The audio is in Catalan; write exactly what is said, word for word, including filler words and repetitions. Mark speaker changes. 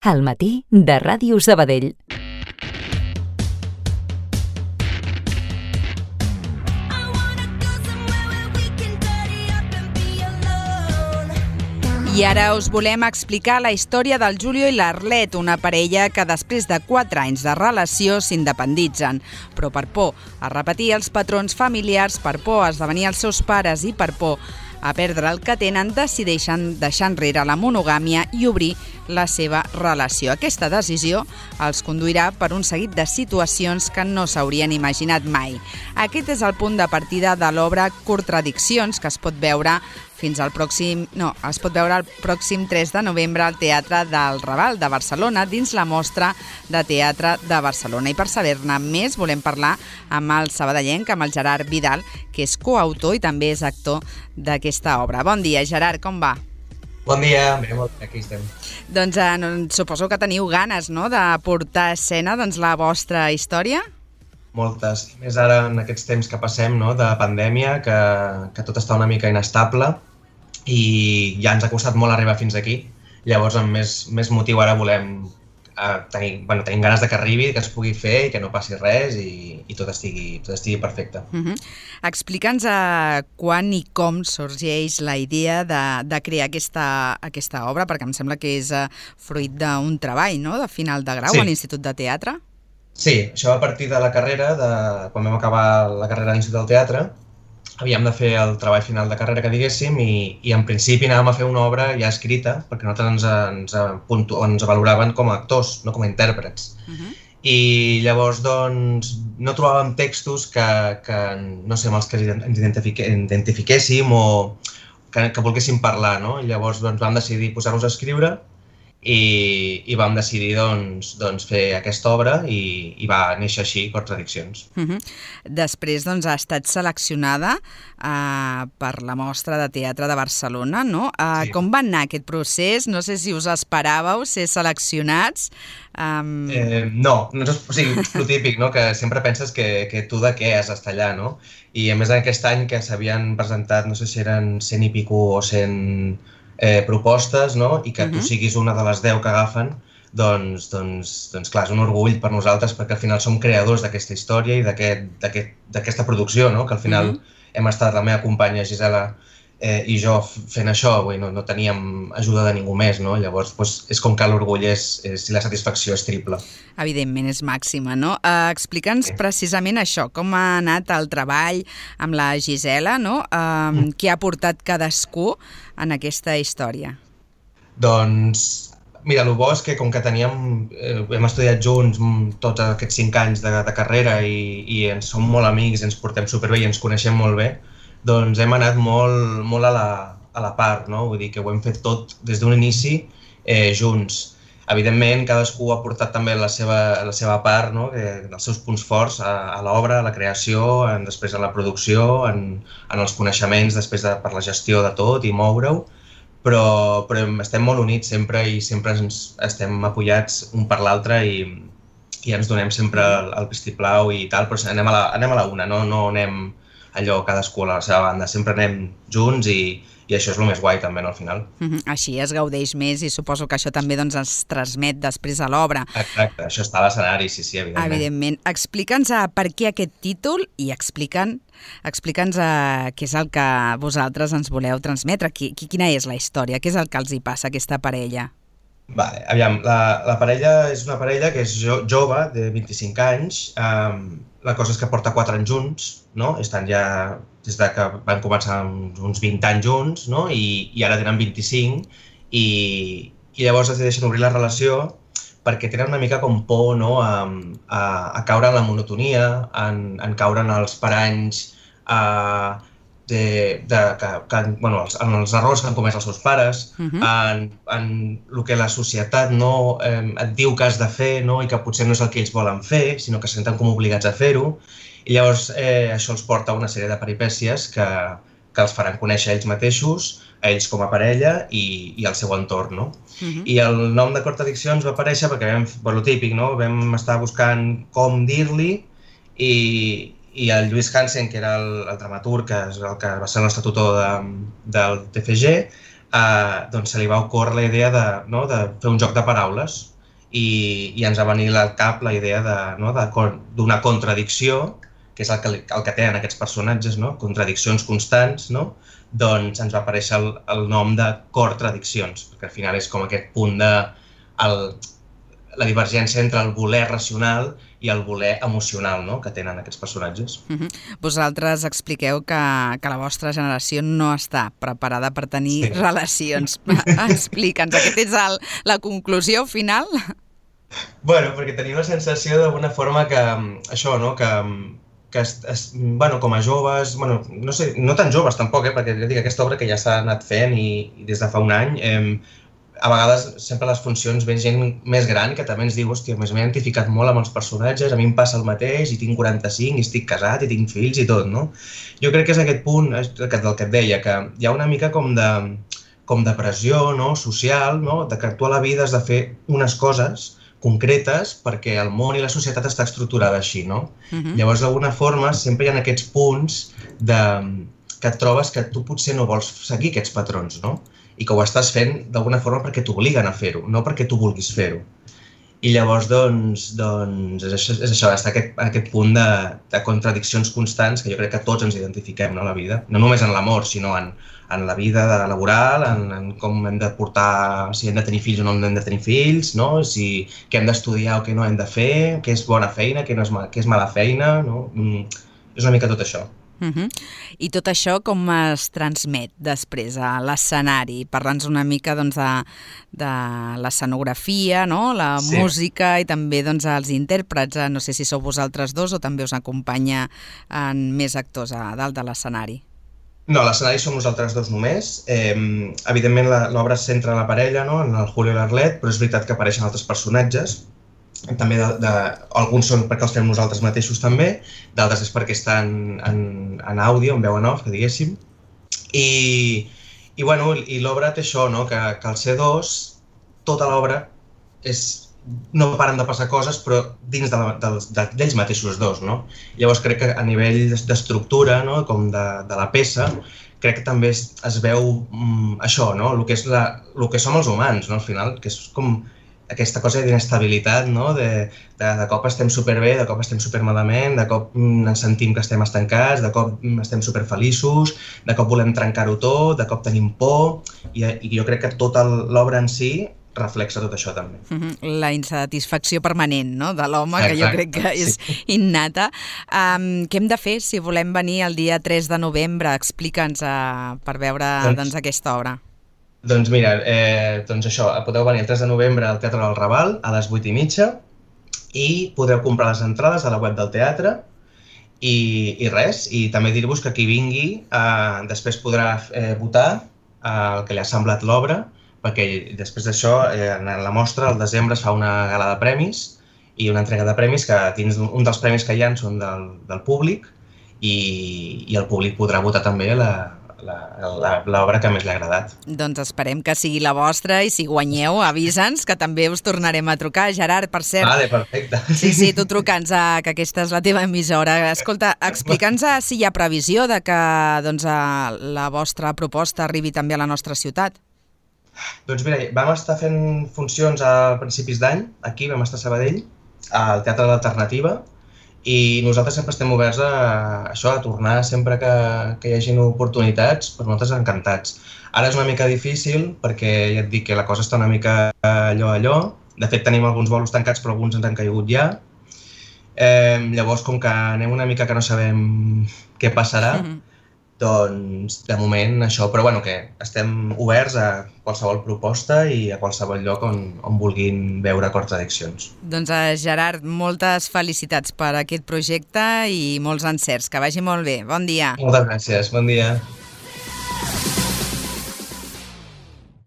Speaker 1: Al matí de Ràdio Sabadell.
Speaker 2: I ara us volem explicar la història del Julio i l'Arlet, una parella que després de quatre anys de relació s'independitzen. Però per por a repetir els patrons familiars, per por a esdevenir els seus pares i per por a perdre el que tenen, decideixen deixar enrere la monogàmia i obrir la seva relació. Aquesta decisió els conduirà per un seguit de situacions que no s'haurien imaginat mai. Aquest és el punt de partida de l'obra Contradiccions, que es pot veure fins al pròxim, no, es pot veure el pròxim tres de novembre al Teatre del Raval de Barcelona, dins la Mostra de Teatre de Barcelona. I per saber-ne més volem parlar amb el sabadellenc, amb el Gerard Vidal, que és coautor i també és actor d'aquesta obra. Bon dia, Gerard, com va?
Speaker 3: Bon dia, bé, molt bé, aquí estem.
Speaker 2: Doncs eh, no, suposo que teniu ganes, no?, de portar a escena doncs, la vostra història?
Speaker 3: Moltes. Més ara en aquests temps que passem, no?, de pandèmia, que, que tot està una mica inestable i ja ens ha costat molt arribar fins aquí. Llavors, amb més, més motiu ara volem eh, tenir, bueno, tenim ganes de que arribi, que es pugui fer i que no passi res i, i tot, estigui, tot estigui perfecte.
Speaker 2: Uh-huh. Explica'ns uh, quan i com sorgeix la idea de, de crear aquesta, aquesta obra, perquè em sembla que és uh, fruit d'un treball, no?, de final de grau, sí, a l'Institut de Teatre.
Speaker 3: Sí, això va a partir de la carrera, de, quan vam acabar la carrera a l'Institut del Teatre, havíem de fer el treball final de carrera, que diguéssim, i, i en principi anàvem a fer una obra ja escrita, perquè nosaltres ens, ens, puntu, ens valoraven com a actors, no com a intèrprets. Uh-huh. I llavors, doncs, no trobàvem textos que, que no sé, amb els que ens identifique, identifiquéssim o que, que volguéssim parlar, no? I llavors doncs, vam decidir posar-nos a escriure i, i vam decidir doncs, doncs, fer aquesta obra i, i va néixer així, Contradiccions.
Speaker 2: Uh-huh. Després doncs, ha estat seleccionada uh, per la Mostra de Teatre de Barcelona, no? Uh, sí. Com va anar aquest procés? No sé si us esperàveu ser seleccionats. Um...
Speaker 3: Eh, no, no és, o sigui, és el típic, no?, que sempre penses que, que tu de què has d'estar allà, no? I a més aquest any que s'havien presentat, no sé si eren cent i pico o cent eh, propostes, no?, i que uh-huh. tu siguis una de les deu que agafen, doncs, doncs, doncs clar, és un orgull per nosaltres perquè al final som creadors d'aquesta història i d'aquesta aquest, producció, no?, que al final uh-huh. hem estat la meva companya Gisela eh, i jo fent això, vull, no, no teníem ajuda de ningú més, no? Llavors doncs, és com que l'orgull és, és, i la satisfacció és triple.
Speaker 2: Evidentment, és màxima, no? Uh, Explica'ns sí. precisament això, com ha anat el treball amb la Gisela, no? Uh, mm. Què ha portat cadascú en aquesta història?
Speaker 3: Doncs, mira, el bo és que com que teníem, eh, hem estudiat junts tots aquests cinc anys de, de carrera i, i ens som molt amics, ens portem superbé i ens coneixem molt bé, doncs hem anat molt, molt a, la, a la part, no? Vull dir que ho hem fet tot des d'un inici eh, junts. Evidentment, cadascú ha portat també la seva, la seva part, no?, que, els seus punts forts a, a l'obra, a la creació, en, després a la producció, en, en els coneixements, després de, per la gestió de tot i moure-ho, però, però estem molt units sempre i sempre ens, estem apoyats un per l'altre i, i ens donem sempre el, el vistiplau i tal, però anem a la, anem a la una, no, no anem allò cadascú a la seva banda, sempre anem junts i, i això és el més guai també, no, al final.
Speaker 2: Uh-huh. Així es gaudeix més i suposo que això també doncs, es transmet després a l'obra.
Speaker 3: Exacte, això està a l'escenari, sí, sí, evidentment.
Speaker 2: Evidentment. Explica'ns uh, per què aquest títol i explica'ns explica'ns uh, què és el que vosaltres ens voleu transmetre, qui, quina és la història, què és el que els hi passa a aquesta parella?
Speaker 3: Vale, aviam, la, la parella és una parella que és jo, jove, de vint-i-cinc anys, um, la cosa és que porta quatre anys junts, no? Estan ja des de que van començar uns vint anys junts, no? I, i ara tenen vint-i-cinc i, i llavors decideixen obrir la relació perquè tenen una mica com por, no?, a, a, a caure en la monotonia, en, en caure en els paranys, a, de, de, que, que, bueno, els, en els errors que han comès els seus pares, uh-huh. en, en el que la societat no, eh, et diu que has de fer, no?, i que potser no és el que ells volen fer, sinó que se senten com obligats a fer-ho. I llavors eh, això els porta a una sèrie de peripècies que, que els faran conèixer ells mateixos, a ells com a parella i, i al seu entorn, no? Uh-huh. I el nom de Contradiccions va aparèixer perquè vam, per lo típic, no?, vam estar buscant com dir-li i, i el Lluís Hansen, que era el, el dramaturg, que és el que va ser el nostre tutor de, del T F G, eh, doncs se li va ocórrer la idea de, no, de fer un joc de paraules. i, i ens va venir al cap la idea de, no, d'una contradicció, que és el que, el que tenen aquests personatges, no? Contradiccions constants, no? Doncs ens va aparèixer el, el nom de Cortradiccions, perquè al final és com aquest punt de el, la divergència entre el voler racional i el voler emocional, no? Que tenen aquests personatges.
Speaker 2: Uh-huh. Vosaltres expliqueu que, que la vostra generació no està preparada per tenir sí. relacions. Explica'ns, aquesta és el, la conclusió final?
Speaker 3: Bueno, perquè tenim la sensació d'alguna forma que això, no? Que que es, es, bueno, com a joves, bueno, no sé, no tan joves tampoc, eh, perquè ja dic, aquesta obra que ja s'ha anat fent i, i des de fa un any, eh, a vegades sempre les funcions ven gent més gran que també ens diu, hòstia, m'he identificat molt amb els personatges, a mi em passa el mateix, i tinc quaranta-cinc, i estic casat, i tinc fills i tot, no? Jo crec que és aquest punt del que et deia, que hi ha una mica com de, com de pressió, no? Social, no? De que tu a la vida has de fer unes coses concretes perquè el món i la societat està estructurada així, no? Uh-huh. Llavors, d'alguna forma, sempre hi ha aquests punts de, que et trobes que tu potser no vols seguir aquests patrons, no? I que ho estàs fent d'alguna forma perquè t'obliguen a fer-ho, no perquè tu vulguis fer-ho. I llavors, doncs, doncs és això, és això, està aquest, aquest punt de, de contradiccions constants que jo crec que tots ens identifiquem, no, a la vida. No només en l'amor, sinó en, en la vida laboral, en, en com hem de portar, si hem de tenir fills o no hem de tenir fills, no? Si què hem d'estudiar o què no hem de fer, què és bona feina, què, no és, què és mala feina, no? Mm, és una mica tot això.
Speaker 2: Uh-huh. I tot això com es transmet després a l'escenari? Parla'ns una mica doncs, de, de l'escenografia, no? La sí. música i també doncs, els intèrprets. No sé si sou vosaltres dos o també us acompanya en més actors a dalt de l'escenari.
Speaker 3: No, l'escenari som nosaltres dos només. Eh, evidentment l'obra es centra en la parella, no? En el Julio i l'Arlet, però és veritat que apareixen altres personatges. També de, de, alguns són perquè els fem nosaltres mateixos també, d'altres és perquè estan en, en àudio, en veu en off, que diguéssim. I, i, bueno, i l'obra té això, no? que, que al ser dos, tota l'obra és, no paren de passar coses, però dins de la, de, de, d'ells mateixos dos. No? Llavors crec que a nivell d'estructura, no? Com de, de la peça, crec que també es, es veu mm, això, no? El que és la, el que som els humans, no? Al final, que és com aquesta cosa d'inestabilitat, no? de, de, de cop estem superbé, de cop estem supermalament, de cop ens sentim que estem estancats, de cop estem superfeliços, de cop volem trencar-ho tot, de cop tenim por, i, i jo crec que tota l'obra en si reflexa tot això també.
Speaker 2: Uh-huh. La insatisfacció permanent, no? De l'home, que jo crec que és sí. innata. Um, què hem de fer si volem venir el dia tres de novembre? Explica'ns uh, per veure doncs, doncs, aquesta obra.
Speaker 3: Doncs mira, eh, doncs això, podeu venir el tres de novembre al Teatre del Raval a les vuit i mitja i podeu comprar les entrades a la web del teatre i, i res, i també dir-vos que qui vingui eh, després podrà eh, votar eh, el que li ha semblat l'obra, perquè després d'això, eh, en la mostra, al desembre es fa una gala de premis i una entrega de premis que dins un dels premis que hi ha són del, del públic i, i el públic podrà votar també la l'obra que més li ha agradat.
Speaker 2: Doncs esperem que sigui la vostra i si guanyeu, avisa'ns, que també us tornarem a trucar. Gerard, per cert...
Speaker 3: Vale, perfecte.
Speaker 2: Sí, sí, tu truca'ns, a, que aquesta és la teva emissora. Escolta, explica'ns si hi ha previsió de que doncs, la vostra proposta arribi també a la nostra ciutat.
Speaker 3: Doncs mira, vam estar fent funcions a principis d'any, aquí vam estar a Sabadell, al Teatre de l'Alternativa, i nosaltres sempre estem oberts a això, a tornar sempre que, que hi hagi oportunitats, per nosaltres encantats. Ara és una mica difícil perquè ja et dic que la cosa està una mica allò allò. De fet tenim alguns bolos tancats però alguns ens han caigut ja. Eh, llavors com que anem una mica que no sabem què passarà, mm-hmm. doncs de moment això, però bueno, que estem oberts a qualsevol proposta i a qualsevol lloc on, on vulguin veure Cortradiccions.
Speaker 2: Doncs Gerard, moltes felicitats per aquest projecte i molts encerts, que vagi molt bé. Bon dia.
Speaker 3: Moltes gràcies, bon dia.